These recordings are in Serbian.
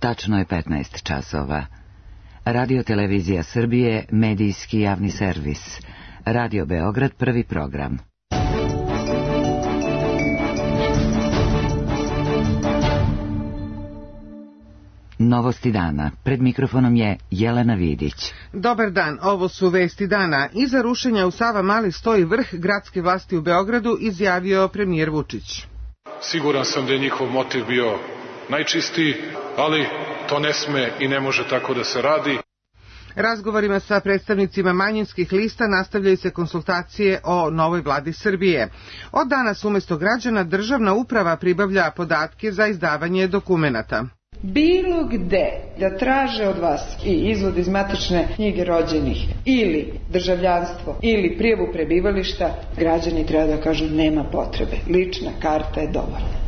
Tačno je 15 časova. Radio Televizija Srbije, medijski javni servis. Radio Beograd, prvi program. Novosti dana. Pred mikrofonom je Jelena Vidić. Dobar dan, ovo su vesti dana. Iza rušenja u Savamali stoji vrh gradske vlasti u Beogradu, izjavio premijer Vučić. Siguran sam da je njihov motiv bio najčistiji, ali to ne sme i ne može tako da se radi. Razgovorima sa predstavnicima manjinskih lista nastavljaju se konsultacije o novoj vladi Srbije. Od danas umjesto građana državna uprava pribavlja podatke za izdavanje dokumenata. Bilo gde da traže od vas i izvod iz matične knjige rođenih ili državljanstvo ili prijavu prebivališta, građani treba da kažu nema potrebe. Lična karta je dovoljna.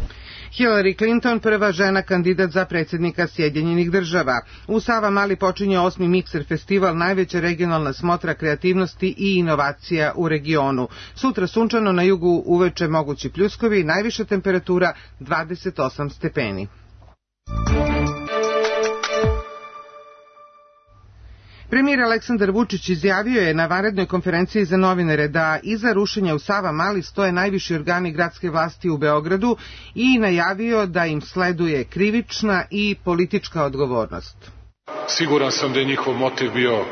Hillary Clinton, prva žena kandidat za predsjednika Sjedinjenih Država. U Savamali počinje 8. Mikser festival, najveća regionalna smotra kreativnosti i inovacija u regionu. Sutra sunčano, na jugu uveče mogući pljuskovi, najviša temperatura 28 stepeni. Premijer Aleksandar Vučić izjavio je na vanrednoj konferenciji za novinare da iza rušenja u Savamali stoje najviši organi gradske vlasti u Beogradu i najavio da im sleduje krivična i politička odgovornost. Siguran sam da je njihov motiv bio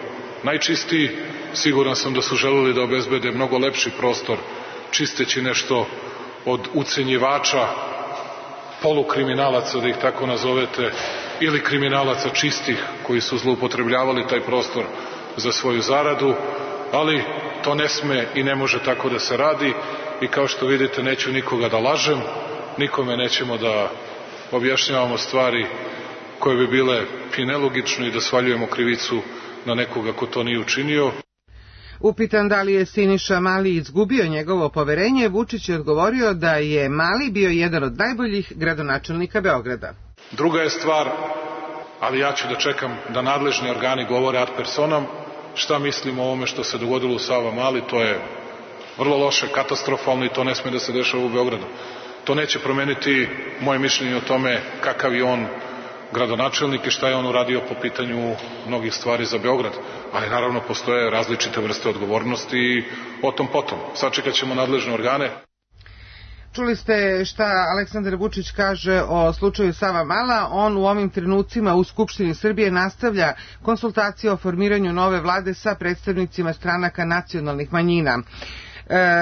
najčistiji, siguran sam da su želeli da obezbede mnogo lepši prostor, čisteći nešto od ucenjivača, polukriminalaca, da ih tako nazovete, ili kriminalaca čistih koji su zloupotrebljavali taj prostor za svoju zaradu, ali to ne sme i ne može tako da se radi i kao što vidite neću nikoga da lažem, nikome nećemo da objašnjavamo stvari koje bi bile i nelogične i da svaljujemo krivicu na nekoga ko to nije učinio. Upitan da li je Siniša Mali izgubio njegovo poverenje, Vučić je odgovorio da je Mali bio jedan od najboljih gradonačelnika Beograda. Druga je stvar, ali ja ću da čekam da nadležni organi govore ad personam šta mislim o ovome što se dogodilo u Savamali. To je vrlo loše, katastrofalno i to ne sme da se dešava u Beogradu. To neće promeniti moje mišljenje o tome kakav je on gradonačelnik i šta je on uradio po pitanju mnogih stvari za Beograd. Ali naravno postoje različite vrste odgovornosti i o tom potom. Sačekat ćemo nadležne organe. Čuli ste šta Aleksandar Vučić kaže o slučaju Savamala. On u ovim trenucima u Skupštini Srbije nastavlja konsultacije o formiranju nove vlade sa predstavnicima stranaka nacionalnih manjina.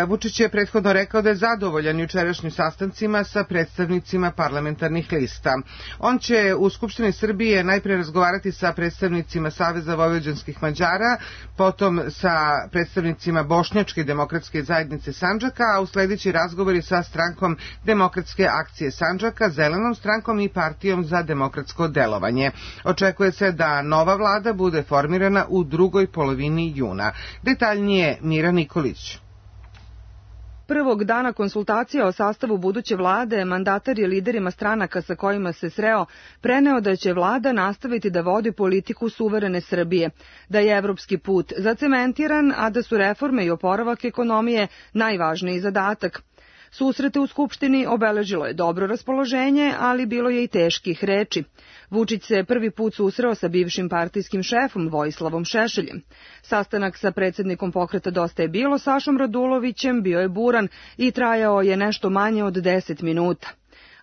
Vučić je prethodno rekao da je zadovoljan jučerašnjim sastancima sa predstavnicima parlamentarnih lista. On će u Skupštini Srbije najpre razgovarati sa predstavnicima Saveza vojvođanskih Mađara, potom sa predstavnicima Bošnjačke demokratske zajednice Sandžaka, a usledeći razgovori sa strankom Demokratske akcije Sandžaka, Zelenom strankom i Partijom za demokratsko delovanje. Očekuje se da nova vlada bude formirana u drugoj polovini juna. Detaljnije Mira Nikolić. Prvog dana konsultacija o sastavu buduće vlade, mandatar je liderima stranaka sa kojima se sreo preneo da će vlada nastaviti da vodi politiku suverene Srbije, da je evropski put zacementiran, a da su reforme i oporavak ekonomije najvažniji zadatak. Susrete u Skupštini obeležilo je dobro raspoloženje, ali bilo je i teških reči. Vučić se prvi put susreo sa bivšim partijskim šefom Vojislavom Šešeljem. Sastanak sa predsjednikom pokreta Dosta je bilo, Sašom Radulovićem, bio je buran i trajao je nešto manje od 10 minuta.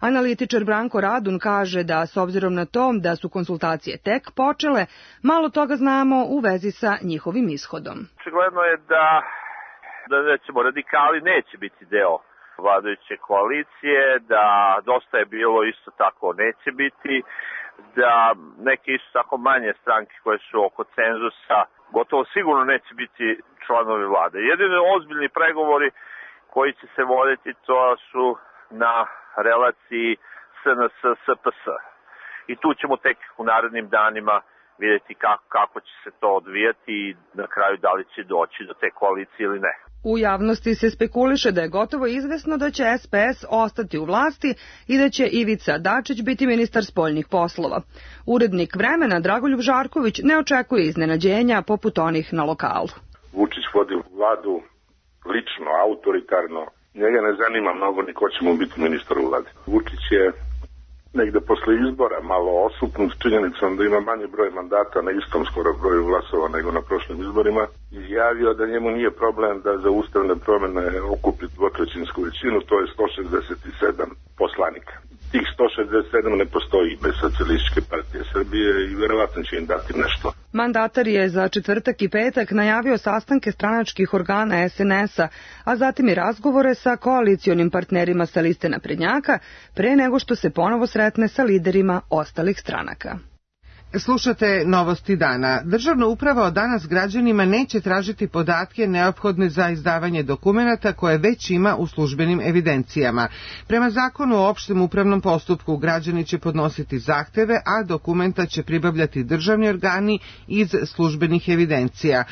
Analitičar Branko Radun kaže da, s obzirom na to da su konsultacije tek počele, malo toga znamo u vezi sa njihovim ishodom. Očigledno je da recimo radikali neće biti deo vladajuće koalicije, da Dosta je bilo isto tako neće biti, da neke isto tako manje stranke koje su oko cenzusa gotovo sigurno neće biti članovi vlade. Jedini ozbiljni pregovori koji će se voditi to su na relaciji SNS-SPS. I tu ćemo tek u narednim danima vidjeti kako će se to odvijati i na kraju da li će doći do te koalicije ili ne. U javnosti se spekuliše da je gotovo izvesno da će SPS ostati u vlasti i da će Ivica Dačić biti ministar spoljnih poslova. Urednik Vremena Dragoljub Žarković ne očekuje iznenađenja poput onih na lokalu. Vučić vodi vladu lično, autoritarno. Njega ne zanima mnogo ni ko će mu biti ministar u vladi. Vučić je negde posle izbora malo osupnut činjenicom da ima manje broj mandata na istom skoro broju glasova nego na prošlim izborima, izjavio da njemu nije problem da za ustavne promene okupi dvotrećinsku većinu, to je 167 poslanika. Tih 167 ne postoji bez Socijalističke partije Srbije i verovatno će im dati nešto. Mandatar je za četvrtak i petak najavio sastanke stranačkih organa SNS-a, a zatim i razgovore sa koalicionim partnerima sa liste naprednjaka, pre nego što se ponovo sretne sa liderima ostalih stranaka. Slušate Novosti dana. Državna uprava od danas građanima neće tražiti podatke neophodne za izdavanje dokumenata koje već ima u službenim evidencijama. Prema zakonu o opštem upravnom postupku građani će podnositi zahteve, a dokumenta će pribavljati državni organi iz službenih evidencija.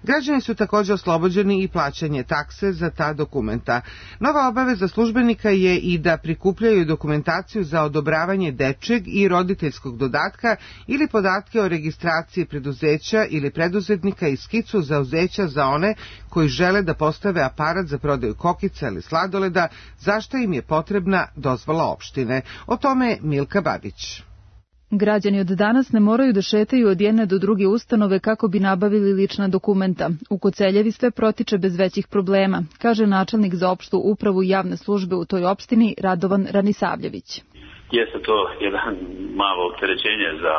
Građani su također oslobođeni i plaćanje takse za ta dokumenta. Nova obaveza službenika je i da prikupljaju dokumentaciju za odobravanje dečeg i roditeljskog dodatka ili podatke o registraciji preduzeća ili preduzetnika i skicu zauzeća za one koji žele da postave aparat za prodaju kokica ili sladoleda, za što im je potrebna dozvola opštine. O tome Milka Babić. Građani od danas ne moraju da šetaju od jedne do druge ustanove kako bi nabavili lična dokumenta. U Koceljevi sve protiče bez većih problema, kaže načelnik za opštu upravu i javne službe u toj opštini Radovan Ranisavljević. Jeste to jedan malo opterećenje za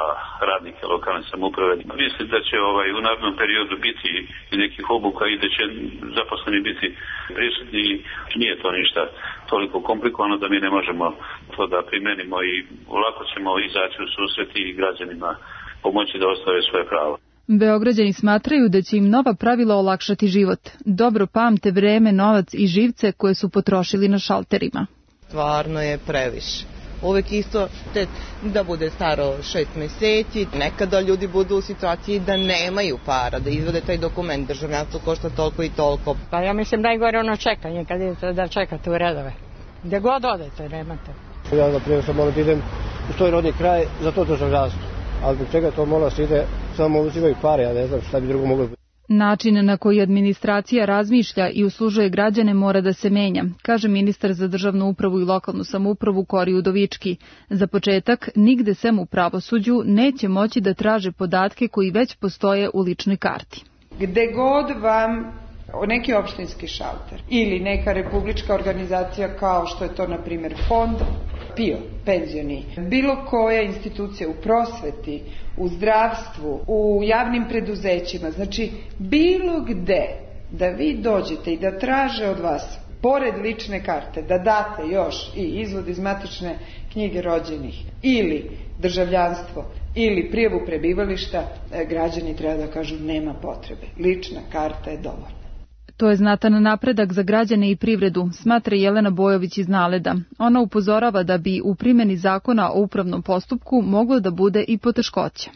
radnike lokalne samouprave. Mislim da će u narednom periodu biti i nekih obuka i da će zaposleni biti prisutni. Nije to ništa toliko komplikovano da mi ne možemo to da primenimo i lako ćemo izaći u susret i građanima pomoći da ostave svoje pravo. Beograđani smatraju da će im nova pravila olakšati život. Dobro pamte vreme, novac i živce koje su potrošili na šalterima. Stvarno je previše. Uvek isto da bude staro 6 meseci, nekada ljudi budu u situaciji da nemaju para, da izvode taj dokument, državljanstvo košta toliko i toliko. Pa ja mislim najgore ono čekanje, kad idete da čekate u redove. Gde god odete, nemate. Ja na primjer sam moram da idem u svoj rodni kraj za to državljanstvo, ali zbog čega to mora se ide, samo uzimaju pare, ja ne znam šta bi drugo moglo biti. Način na koji administracija razmišlja i uslužuje građane mora da se menja, kaže ministar za državnu upravu i lokalnu samoupravu Kori Udovički. Za početak, nigde sem u pravosuđu neće moći da traže podatke koji već postoje u ličnoj karti. Gde god vam neki opštinski šalter ili neka republička organizacija kao što je to na primjer fond PIO, penzioni, bilo koja institucija u prosveti, u zdravstvu, u javnim preduzećima, znači bilo gde da vi dođete i da traže od vas, pored lične karte, da date još i izvod iz matične knjige rođenih ili državljanstvo ili prijavu prebivališta, građani treba da kažu nema potrebe. Lična karta je dovoljna. To je znatan napredak za građane i privredu, smatra Jelena Bojović iz Naleda. Ona upozorava da bi u primjeni zakona o upravnom postupku moglo da bude i poteškoće.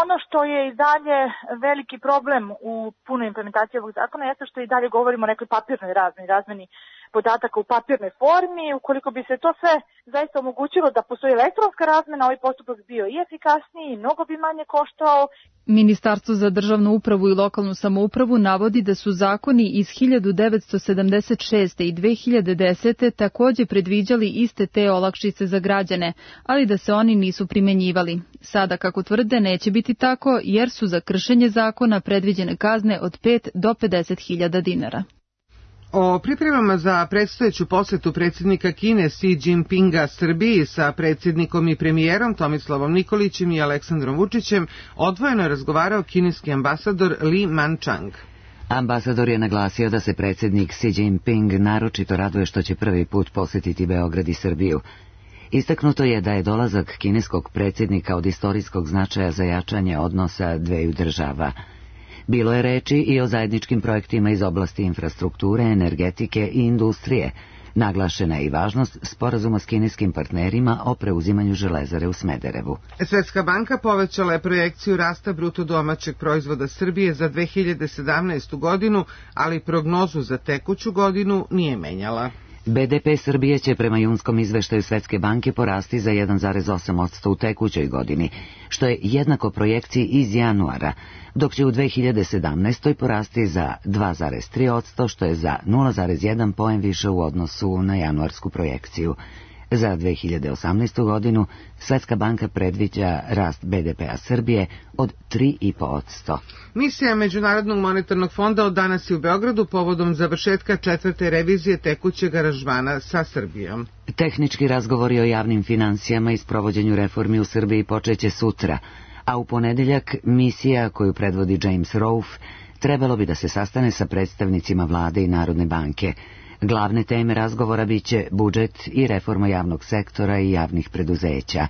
Ono što je i dalje veliki problem u punoj implementaciji ovog zakona jeste što i dalje govorimo o nekoj papirnoj razmeni podataka u papirnoj formi. Ukoliko bi se to sve zaista omogućilo da postoji elektronska razmena, ovaj postupak bio i efikasniji i mnogo bi manje koštao. Ministarstvo za državnu upravu i lokalnu samoupravu navodi da su zakoni iz 1976. i 2010. također predviđali iste te olakšice za građane, ali da se oni nisu primenjivali. Sada, kako tvrde, neće biti tako jer su za kršenje zakona predviđene kazne od 5 do 50.000 dinara. O pripremama za predstojeću posjetu predsjednika Kine Xi Jinpinga Srbiji sa predsjednikom i premijerom Tomislavom Nikolićem i Aleksandrom Vučićem odvojeno je razgovarao kineski ambasador Li Manchang. Ambasador je naglasio da se predsjednik Xi Jinping naročito raduje što će prvi put posjetiti Beograd i Srbiju. Istaknuto je da je dolazak kineskog predsjednika od istorijskog značaja za jačanje odnosa dveju država. Bilo je reči i o zajedničkim projektima iz oblasti infrastrukture, energetike i industrije. Naglašena je i važnost sporazuma s kineskim partnerima o preuzimanju železare u Smederevu. Svetska banka povećala je projekciju rasta bruto domaćeg proizvoda Srbije za 2017. godinu, ali prognozu za tekuću godinu nije menjala. BDP Srbije će prema junskom izveštaju Svetske banke porasti za 1,8% u tekućoj godini, što je jednako projekciji iz januara, dok će u 2017. porasti za 2,3%, što je za 0,1 poen više u odnosu na januarsku projekciju. Za 2018. godinu Svetska banka predviđa rast BDP-a Srbije od 3,5%. Misija Međunarodnog monetarnog fonda od danas je u Beogradu povodom završetka 4. revizije tekućeg aranžmana sa Srbijom. Tehnički razgovori o javnim financijama i sprovođenju reformi u Srbiji počeće sutra, a u ponedeljak misija koju predvodi James Rolfe trebalo bi da se sastane sa predstavnicima vlade i Narodne banke. Glavne teme razgovora biće budžet i reforma javnog sektora i javnih preduzeća.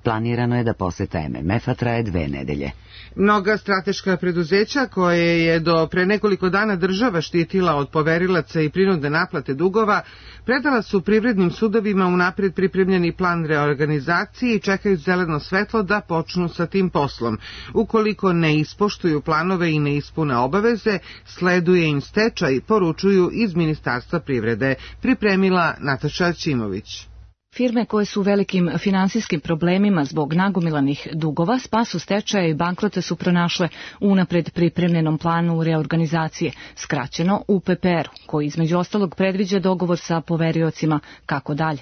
Planirano je da poseta MMF-a traje 2 nedelje. Mnoga strateška preduzeća koje je do pre nekoliko dana država štitila od poverilaca i prinudne naplate dugova, predala su privrednim sudovima unapred pripremljeni plan reorganizacije i čekaju zeleno svetlo da počnu sa tim poslom. Ukoliko ne ispoštuju planove i ne ispune obaveze, sleduje im stečaj, poručuju iz Ministarstva privrede. Pripremila Nataša Ćimović. Firme koje su u velikim finansijskim problemima zbog nagomilanih dugova, spasu stečaja i bankrota su pronašle u unapred pripremljenom planu reorganizacije, skraćeno UPPR, koji između ostalog predviđa dogovor sa poveriocima kako dalje.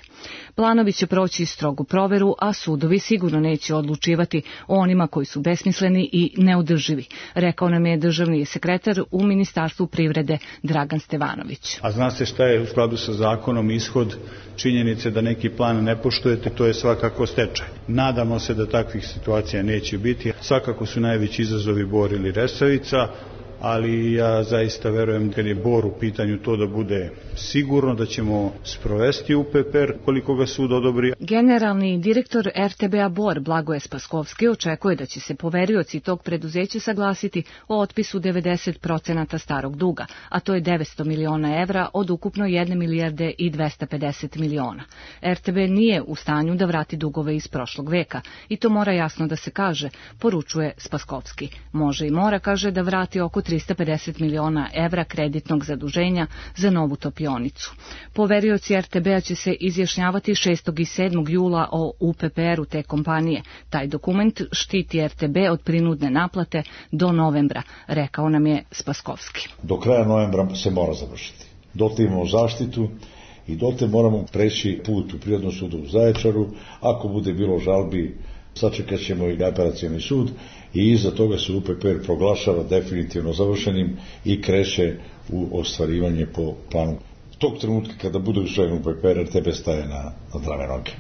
Planovi će proći strogu proveru, a sudovi sigurno neće odlučivati o onima koji su besmisleni i neodrživi, rekao nam je državni sekretar u Ministarstvu privrede Dragan Stevanović. A zna se šta je u skladu sa zakonom ishod činjenice da neki plan ne poštujete, to je svakako stečaj. Nadamo se da takvih situacija neće biti. Svakako su najveći izazovi Bor ili Resavica, ali ja zaista verujem kad je Bor u pitanju to da bude sigurno da ćemo sprovesti UPPR koliko ga sud odobri. Generalni direktor RTB-a Bor Blagoje Spaskovski očekuje da će se poverioci tog preduzeća saglasiti o otpisu 90% starog duga, a to je 900 miliona evra od ukupno 1 milijarde i 250 miliona. RTB nije u stanju da vrati dugove iz prošlog veka i to mora jasno da se kaže, poručuje Spaskovski. Može i mora, kaže, da vrati oko 350 miliona evra kreditnog zaduženja za novu topionicu. Poverioci RTB-a će se izjašnjavati 6. i 7. jula o UPPR-u te kompanije. Taj dokument štiti RTB od prinudne naplate do novembra, rekao nam je Spaskovski. Do kraja novembra se mora završiti. Dotle imamo zaštitu i dotle moramo preći put u Prirodnom sudu u Zaječaru. Ako bude bilo žalbi, sačekat ćemo i apelacioni sud i iza toga se UPPR proglašava definitivno završenim i kreće u ostvarivanje po planu. Tog trenutka kada bude usvojen UPPR, RTB staje na zdrave noge.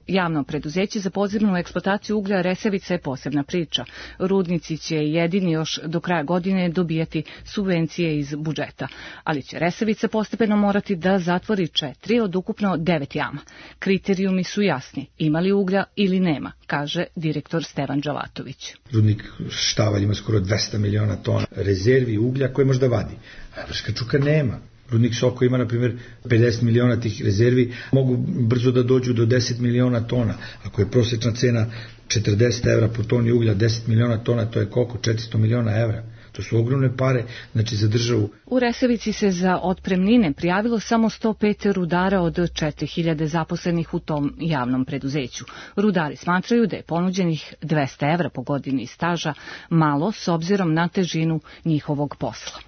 Javno preduzeće za podzemnu eksploataciju uglja Resavica je posebna priča. Rudnici će jedini još do kraja godine dobijati subvencije iz budžeta, ali će Resavica postepeno morati da zatvori 4 od ukupno 9 jama. Kriterijumi su jasni, ima li uglja ili nema, kaže direktor Stevan Đalatović. Rudnik Štavalj ima skoro 200 miliona tona rezervi uglja koje možda vadi, a Vrška Čuka nema. Rudnik Soko ima, na primjer, 50 miliona tih rezervi, mogu brzo da dođu do 10 miliona tona. Ako je prosječna cena 40 evra po toni uglja, 10 miliona tona, to je koliko? 400 miliona evra. To su ogromne pare, znači za državu. U Resavici se za otpremnine prijavilo samo 105 rudara od 4000 zaposlenih u tom javnom preduzeću. Rudari smatraju da je ponuđenih 200 evra po godini staža malo s obzirom na težinu njihovog posla.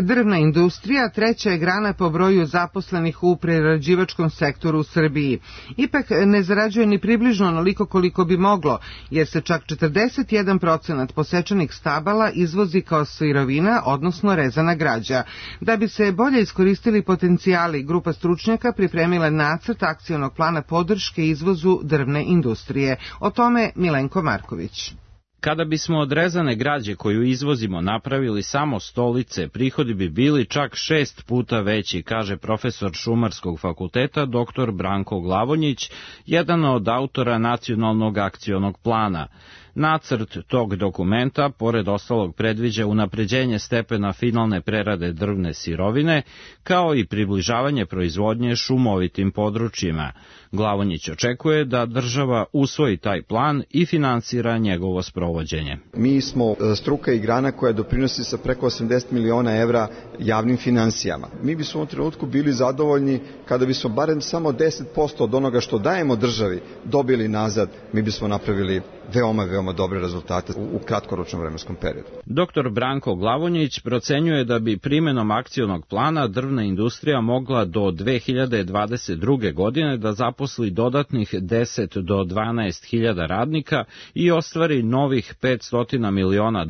Drvna industrija treća je grana po broju zaposlenih u prerađivačkom sektoru u Srbiji. Ipak ne zarađuje ni približno onoliko koliko bi moglo, jer se čak 41% posečenih stabala izvozi kao sirovina, odnosno rezana građa. Da bi se bolje iskoristili potencijali, grupa stručnjaka pripremila nacrt akcionog plana podrške izvozu drvne industrije. O tome Milenko Marković. Kada bismo od rezane građe koju izvozimo napravili samo stolice, prihodi bi bili čak 6 puta veći, kaže profesor Šumarskog fakulteta dr. Branko Glavonjić, jedan od autora Nacionalnog akcionog plana. Nacrt tog dokumenta, pored ostalog, predviđa unapređenje stepena finalne prerade drvne sirovine, kao i približavanje proizvodnje šumovitim područjima. Glavonjić očekuje da država usvoji taj plan i finansira njegovo sprovođenje. Mi smo struka i grana koja doprinosi sa preko 80 miliona evra javnim finansijama. Mi bismo u ovom trenutku bili zadovoljni kada bismo barem samo 10% od onoga što dajemo državi dobili nazad, mi bismo napravili veoma dobre rezultate u kratkoročnom vremenskom periodu. Dr. Branko Glavonjić procenjuje da bi primenom akcionog plana drvna industrija mogla do 2022. godine da zaposli dodatnih 10 do 12 hiljada radnika i ostvari novih $500 miliona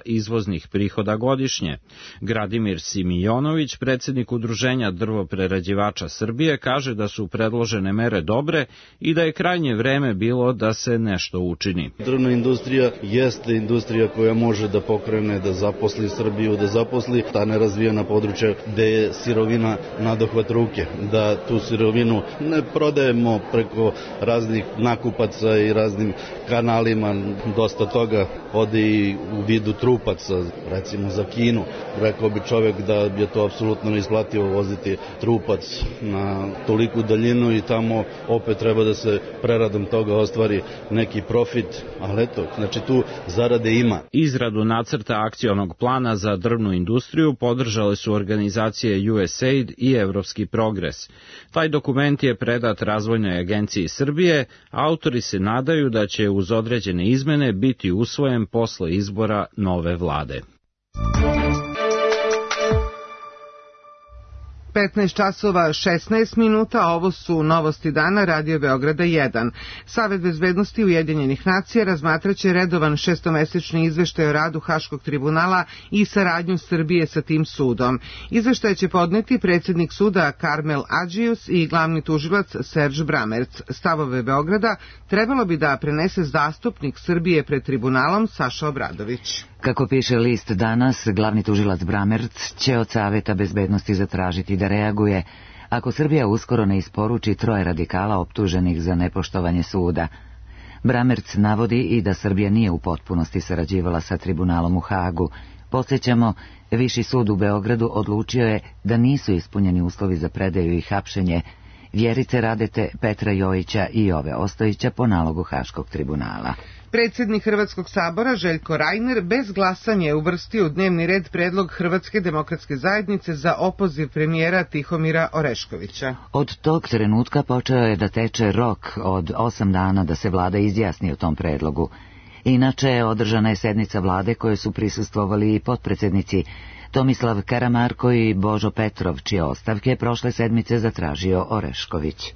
izvoznih prihoda godišnje. Gradimir Simijonović, predsjednik Udruženja drvoprerađivača Srbije, kaže da su predložene mere dobre i da je krajnje vreme bilo da se nešto učini. Drvna industrija jeste industrija koja može da pokrene, da zaposli Srbiju, da zaposli ta nerazvijena područja gde je sirovina nadohvat ruke, da tu sirovinu ne prodajemo preko raznih nakupaca i raznim kanalima, dosta toga ode i u vidu trupaca, recimo za Kinu. Rekao bi čovjek da je to apsolutno neisplativo voziti trupac na toliku daljinu i tamo opet treba da se preradom toga ostvari neki profit, ali eto, znači tu zarade ima. Izradu nacrta akcionog plana za drvnu industriju podržale su organizacije USAID i Evropski progres. Taj dokument je predat Razvojnoj agenciji Srbije, autori se nadaju da će uz određene izmene biti usvojen posle izbora nove vlade. 15 časova 16 minuta, ovo su novosti dana Radio Beograda 1. Savet bezbednosti Ujedinjenih nacija razmatraće redovan šestomesečni izveštaj o radu Haškog tribunala i saradnju Srbije sa tim sudom. Izveštaj će podneti predsjednik suda Karmel Adžius i glavni tužilac Serž Bramerc. Stavove Beograda trebalo bi da prenese zastupnik Srbije pred tribunalom Saša Obradović. Kako piše list danas, glavni tužilac Bramerc će od Saveta bezbednosti zatražiti da reaguje ako Srbija uskoro ne isporuči 3 radikala optuženih za nepoštovanje suda. Bramerc navodi i da Srbija nije u potpunosti sarađivala sa tribunalom u Hagu. Podsjećamo, Viši sud u Beogradu odlučio je da nisu ispunjeni uslovi za predaju i hapšenje Vjerice Radete, Petra Jojića i Jove Ostojića po nalogu Haškog tribunala. Predsjednik Hrvatskog sabora Željko Reiner bez glasanja je uvrstio u dnevni red predlog Hrvatske demokratske zajednice za opoziv premijera Tihomira Oreškovića. Od tog trenutka počeo je da teče rok od 8 dana da se vlada izjasni o tom predlogu. Inače, održana je sednica vlade koje su prisustvovali i potpredsjednici Tomislav Karamarko i Božo Petrov, čije ostavke prošle sedmice zatražio Orešković.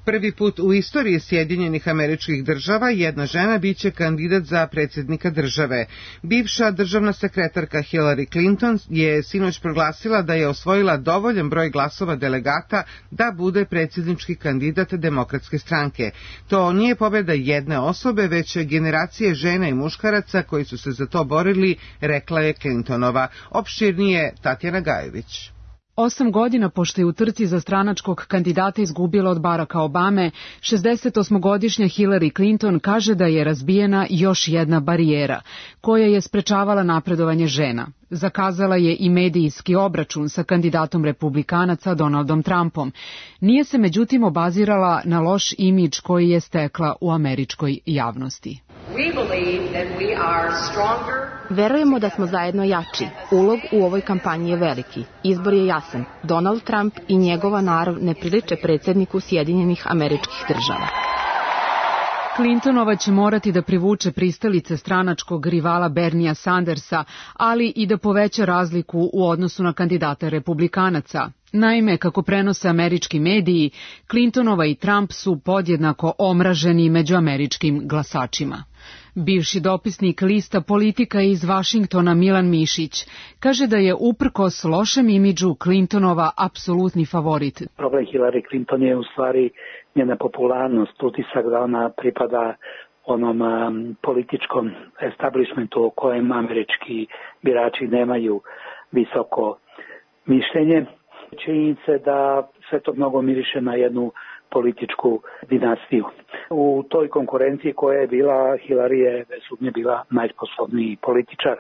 Prvi put u istoriji Sjedinjenih Američkih Država jedna žena biće kandidat za predsjednika države. Bivša državna sekretarka Hillary Clinton je sinoć proglasila da je osvojila dovoljan broj glasova delegata da bude predsjednički kandidat Demokratske stranke. To nije pobjeda jedne osobe, već generacije žena i muškaraca koji su se za to borili, rekla je Clintonova. Opširnije Tatjana Gajević. 8 godina pošto je u trci za stranačkog kandidata izgubila od Baracka Obame, 68-godišnja Hillary Clinton kaže da je razbijena još jedna barijera, koja je sprečavala napredovanje žena. Zakazala je i medijski obračun sa kandidatom republikanaca Donaldom Trumpom. Nije se međutim obazirala na loš imidž koji je stekla u američkoj javnosti. Verujemo da smo zajedno jači. Ulog u ovoj kampanji je veliki. Izbor je jasan. Donald Trump i njegova narav ne priliče predsjedniku Sjedinjenih Američkih Država. Clintonova će morati da privuče pristalice stranačkog rivala Bernija Sandersa, ali i da poveća razliku u odnosu na kandidata republikanaca. Naime, kako prenose američki mediji, Clintonova i Trump su podjednako omraženi među američkim glasačima. Bivši dopisnik lista Politika iz Vašingtona Milan Mišić kaže da je uprkos lošem imidžu Clintonova apsolutni favorit. Problem Hillary Clinton je u stvari njena popularnost, utisak da ona pripada onom političkom establishmentu o kojem američki birači nemaju visoko mišljenje. Činjenica je da sve to mnogo miriše na jednu političku dinastiju. U toj konkurenciji koja je bila, Hillary je bez sumnje bila najsposobniji političar,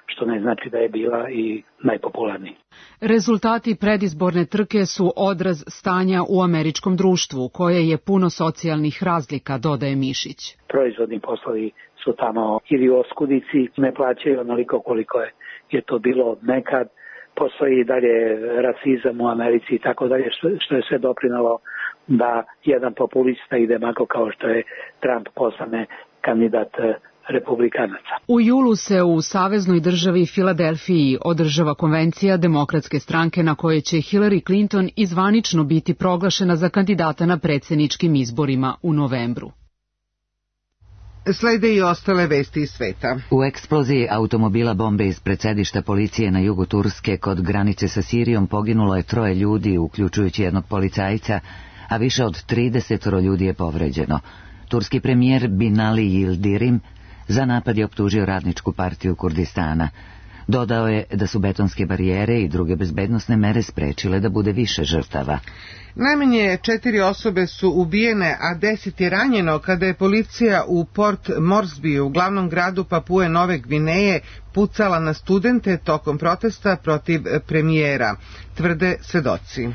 što ne znači da je bila i najpopularniji. Rezultati predizborne trke su odraz stanja u američkom društvu, koje je puno socijalnih razlika, dodaje Mišić. Proizvodni poslovi su tamo ili oskudici, ne plaćaju onoliko koliko je to bilo nekad. Postoji i dalje rasizam u Americi i tako dalje, što je sve doprinalo da jedan populista i demagog kao što je Trump postane kandidat republikanaca. U julu se u saveznoj državi Filadelfiji održava konvencija Demokratske stranke na kojoj će Hillary Clinton izvanično biti proglašena za kandidata na predsjedničkim izborima u novembru. Slede i ostale vesti iz sveta. U eksploziji automobila bombe ispred sedišta policije na jugu Turske kod granice sa Sirijom poginulo je 3 ljudi, uključujući jednog policajca, a više od 30 ljudi je povređeno. Turski premijer Binali Yildirim za napad je optužio Radničku partiju Kurdistana. Dodao je da su betonske barijere i druge bezbednosne mere sprečile da bude više žrtava. Najmanje 4 osobe su ubijene, a 10 je ranjeno kada je policija u Port Moresbyu, glavnom gradu Papue Nove Gvineje, pucala na studente tokom protesta protiv premijera, tvrde svedoci.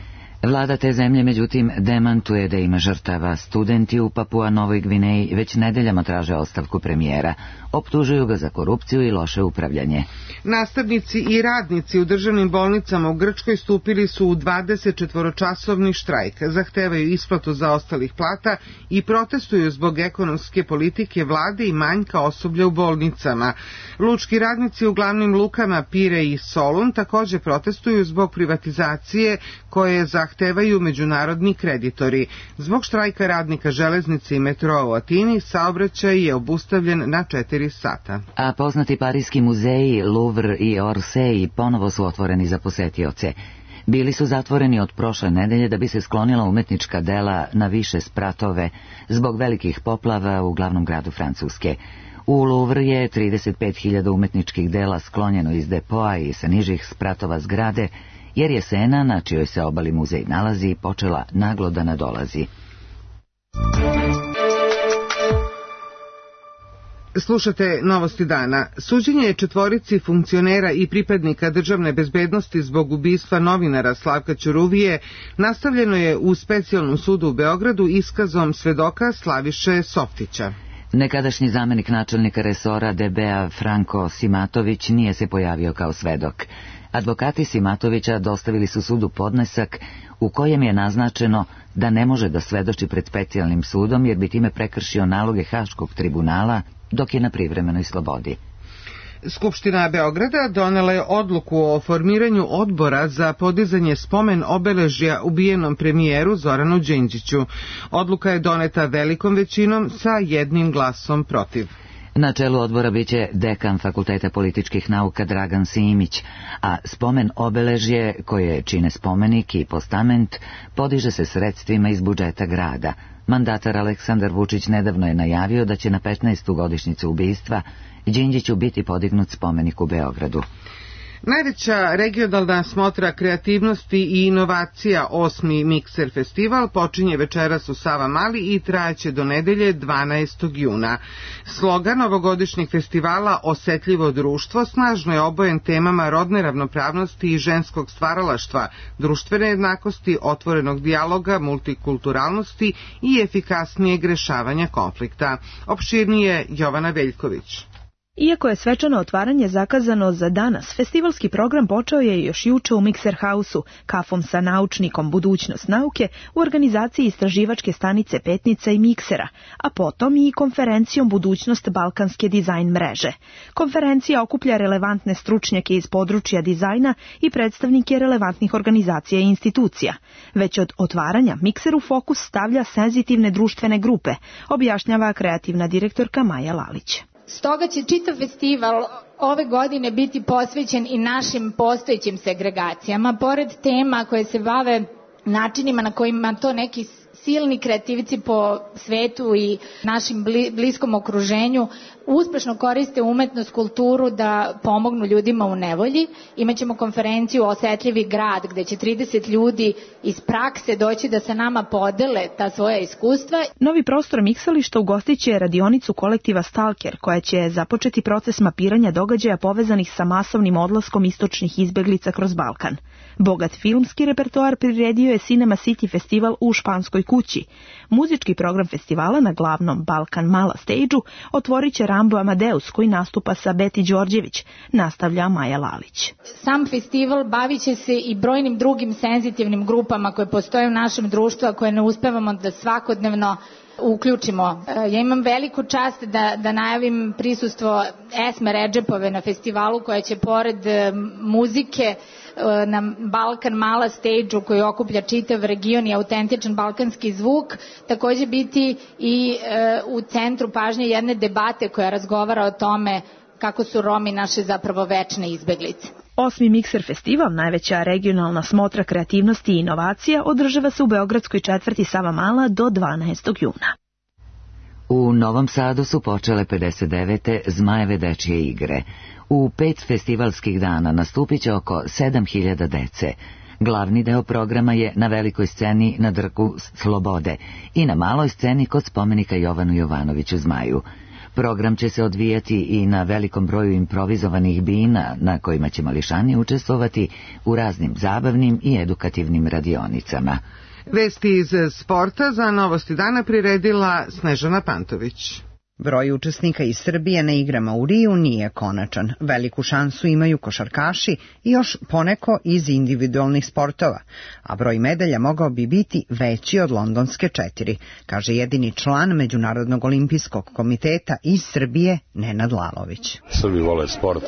Vlada te zemlje, međutim, demantuje da ima žrtava. Studenti u Papua Novoj Gvineji već nedeljama traže ostavku premijera. Optužuju ga za korupciju i loše upravljanje. Nastavnici i radnici u državnim bolnicama u Grčkoj stupili su u 24-časovni štrajk. Zahtevaju isplatu zaostalih plata i protestuju zbog ekonomske politike vlade i manjka osoblja u bolnicama. Lučki radnici u glavnim lukama Pire i Solun također protestuju zbog privatizacije koje zahtevaju međunarodni kreditori. Zbog štrajka radnika železnice i metroa u Atini saobraćaj je obustavljen na 4 sata. A poznati parijski muzeji Louvre i Orsay ponovo su otvoreni za posetioce. Bili su zatvoreni od prošle nedelje da bi se sklonila umetnička dela na više spratove zbog velikih poplava u glavnom gradu Francuske. U Louvre je 35.000 umetničkih dela sklonjeno iz depoa i sa nižih spratova zgrade, jer je Sena, na čijoj se obali muzej nalazi, počela naglo da nadolazi. Slušate novosti dana. Suđenje 4 funkcionera i pripadnika državne bezbednosti zbog ubistva novinara Slavka Ćuruvije nastavljeno je u specijalnom sudu u Beogradu iskazom svedoka Slaviše Softića. Nekadašnji zamenik načelnika resora DB-a Franko Simatović nije se pojavio kao svedok. Advokati Simatovića dostavili su sudu podnesak u kojem je naznačeno da ne može da svedoči pred specijalnim sudom jer bi time prekršio naloge Haškog tribunala dok je na privremenoj slobodi. Skupština Beograda donela je odluku o formiranju odbora za podizanje spomen obeležja ubijenom premijeru Zoranu Đinđiću. Odluka je doneta velikom većinom sa 1 glasom protiv. Na čelu odbora biće dekan Fakulteta političkih nauka Dragan Simić, a spomen obeležje, koje čine spomenik i postament, podiže se sredstvima iz budžeta grada. Mandatar Aleksandar Vučić nedavno je najavio da će na 15. godišnjicu ubistva Đinđiću biti podignut spomenik u Beogradu. Najveća regionalna smotra kreativnosti i inovacija 8. Mikser festival počinje večeras u Savamali i trajaće do nedelje 12. juna. Slogan ovogodišnjeg festivala Osetljivo društvo snažno je obojen temama rodne ravnopravnosti i ženskog stvaralaštva, društvene jednakosti, otvorenog dijaloga, multikulturalnosti i efikasnijeg rešavanja konflikta. Opširnije Jovana Veljković. Iako je svečano otvaranje zakazano za danas, festivalski program počeo je još juče u Mikser Hausu, kafom sa naučnikom Budućnost nauke u organizaciji istraživačke stanice Petnica i Miksera, a potom i konferencijom Budućnost balkanske dizajn mreže. Konferencija okuplja relevantne stručnjake iz područja dizajna i predstavnike relevantnih organizacija i institucija. Već od otvaranja Mikser u fokus stavlja senzitivne društvene grupe, objašnjava kreativna direktorka Maja Lalić. Stoga će čitav festival ove godine biti posvećen i našim postojećim segregacijama, pored tema koje se bave načinima na kojima to neki silni kreativci po svetu i našim bliskom okruženju uspešno koriste umetnost, kulturu da pomognu ljudima u nevolji. Imaćemo konferenciju Osetljivi grad gde će 30 ljudi iz prakse doći da sa nama podele ta svoja iskustva. Novi prostor miksališta ugostiće radionicu kolektiva Stalker koja će započeti proces mapiranja događaja povezanih sa masovnim odlaskom istočnih izbeglica kroz Balkan. Bogat filmski repertoar priredio je Cinema City festival u Španskoj kući. Muzički program festivala na glavnom Balkan Mala stage-u otvorit će Rambo Amadeus koji nastupa sa Beti Đorđević, nastavlja Maja Lalić. Sam festival bavit će se i brojnim drugim senzitivnim grupama koje postoje u našem društvu, a koje ne uspevamo da svakodnevno uključimo. Ja imam veliku čast da najavim prisustvo Esme Redžepove na festivalu koja će pored muzike na Balkan Mala stage-u koji okuplja čitav region i autentičan balkanski zvuk, takođe biti i u centru pažnje jedne debate koja razgovara o tome kako su Romi naše zapravo večne izbeglice. 8. Mikser festival, najveća regionalna smotra kreativnosti i inovacija, održava se u beogradskoj četvrti Savamala do 12. juna. U Novom Sadu su počele 59. Zmajeve dečije igre. U 5 festivalskih dana nastupit će oko 7000 dece. Glavni deo programa je na velikoj sceni na Trgu Slobode i na maloj sceni kod spomenika Jovanu Jovanoviću Zmaju. Program će se odvijati i na velikom broju improvizovanih bina na kojima će mališani učestvovati u raznim zabavnim i edukativnim radionicama. Vesti iz sporta za Novosti dana priredila Snežana Pantović. Broj učesnika iz Srbije na igrama u Riju nije konačan. Veliku šansu imaju košarkaši i još poneko iz individualnih sportova, a broj medalja mogao bi biti veći od londonske 4, kaže jedini član Međunarodnog olimpijskog komiteta iz Srbije Nenad Lalović. Srbi vole sport.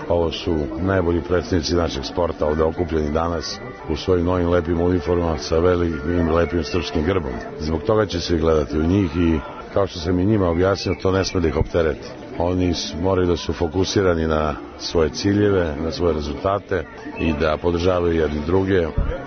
Ovo su najbolji predstavnici našeg sporta ovde okupljeni danas u svojim novim lepim uniformama sa velikim lepim srpskim grbom. Zbog toga će se gledati u njih i kao što sam i njima objasnio, to ne sme da ih optereti. Oni moraju da su fokusirani na svoje ciljeve, na svoje rezultate i da podržavaju jedni druge.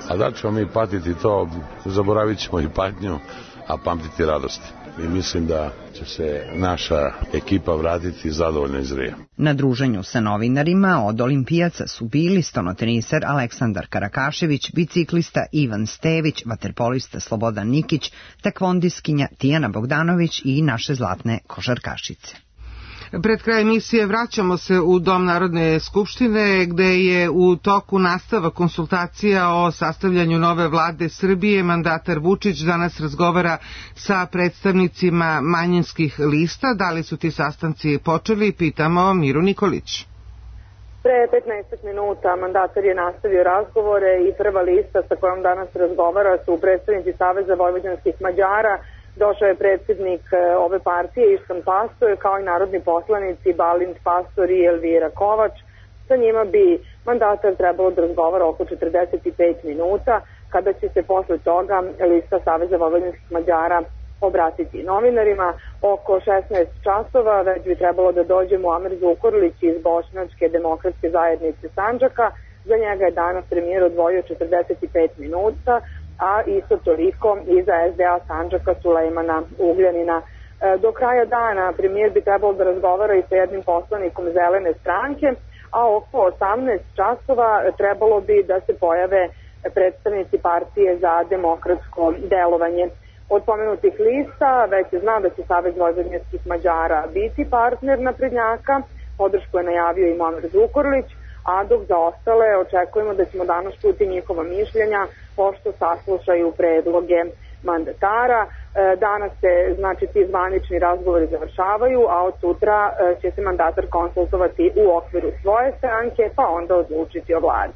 A da ćemo mi patiti to, zaboravit ćemo i patnju, a pamtiti radosti. I mislim da će se naša ekipa vratiti zadovoljno iz Rija. Na druženju sa novinarima od olimpijaca su bili stonoteniser Aleksandar Karakašević, biciklista Ivan Stević, vaterpolista Slobodan Nikić, tekvondiskinja Tijana Bogdanović i naše zlatne košarkašice. Pred kraj emisije vraćamo se u Dom Narodne skupštine gde je u toku nastava konsultacija o sastavljanju nove vlade Srbije. Mandatar Vučić danas razgovara sa predstavnicima manjinskih lista. Da li su ti sastanci počeli? Pitamo Miru Nikolić. Pre 15 minuta mandatar je nastavio razgovore i prva lista sa kojom danas razgovara su predstavnici Saveza vojvođanskih Mađara. Došao je predsjednik ove partije Iškan Pastor, kao i narodni poslanici Balint Pastor i Elvira Kovač. Sa njima bi mandatar trebalo da razgovara oko 45 minuta, kada će se posle toga lista Saveza vojvođanskih Mađara obratiti novinarima. Oko 16 časova već bi trebalo da dođe Muamer Zukorlić iz Bošnjačke demokratske zajednice Sandžaka. Za njega je danas premijer odvojio 45 minuta, a isto toliko i za SDA Sandžaka Sulejmana Ugljanina. Do kraja dana premijer bi trebalo da razgovara i sa jednim poslanikom Zelene stranke, a oko 18 časova trebalo bi da se pojave predstavnici partije za demokratsko delovanje. Od pomenutih lista već se zna da će Savez vojvođanskih Mađara biti partner naprednjaka, podršku je najavio i Muamer Zukorlić, a dok za ostale očekujemo da ćemo danas čuti njihova mišljenja pošto saslušaju predloge mandatara. Danas se, znači, ti zvanični razgovori završavaju, a od sutra će se mandatar konsultovati u okviru svoje stranke, pa onda odlučiti o vladi.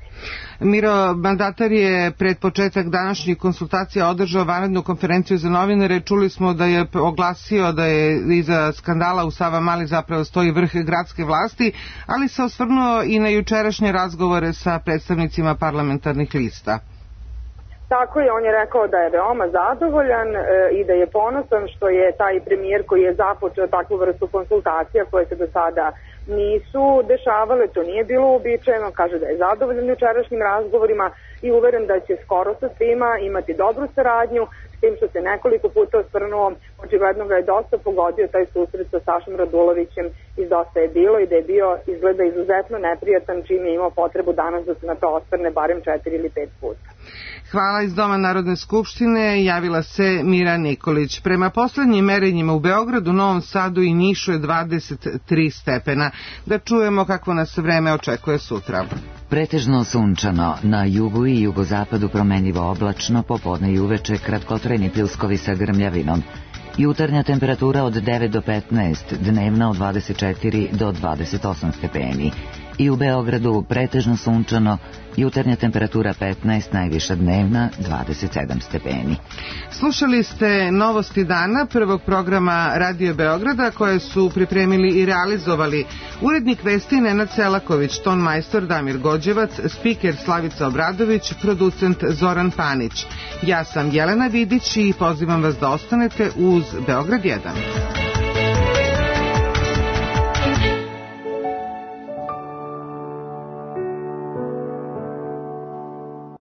Miro, mandatar je pred početak današnjih konsultacija održao vanrednu konferenciju za novinare. Čuli smo da je oglasio da je iza skandala u Savamali zapravo stoji vrh gradske vlasti, ali se osvrnuo i na jučerašnje razgovore sa predstavnicima parlamentarnih lista. Tako je, on je rekao da je veoma zadovoljan i da je ponosan što je taj premijer koji je započeo takvu vrstu konsultacija koje se do sada nisu dešavale, to nije bilo uobičajeno, kaže da je zadovoljan jučerašnjim razgovorima i uveren da će skoro sa svima imati dobru saradnju, s tim što se nekoliko puta osvrnuo, očigledno ga je dosta pogodio taj susret sa Sašom Radulovićem iz Dosta je bilo i da je bio izgleda izuzetno neprijatan čim je imao potrebu danas da se na to osvrne barem 4 ili 5 puta. Hvala. Iz Doma Narodne skupštine javila se Mira Nikolić. Prema poslednjim merenjima u Beogradu, Novom Sadu i Nišu je 23 stepena. Da čujemo kako nas vreme očekuje sutra. Pretežno sunčano, na jugu i jugozapadu promenljivo oblačno, popodne i uveče kratkotrajni pljuskovi sa grmljavinom. Jutarnja temperatura od 9 do 15, dnevna od 24 do 28 stepeni. i u Beogradu pretežno sunčano, jutarnja temperatura 15, najviša dnevna 27 stepeni. Slušali ste novosti dana prvog programa Radio Beograda koje su pripremili i realizovali urednik vesti Nenad Selaković, ton majstor Damir Gođevac, spiker Slavica Obradović, producent Zoran Panić. Ja sam Jelena Vidić i pozivam vas da ostanete uz Beograd 1.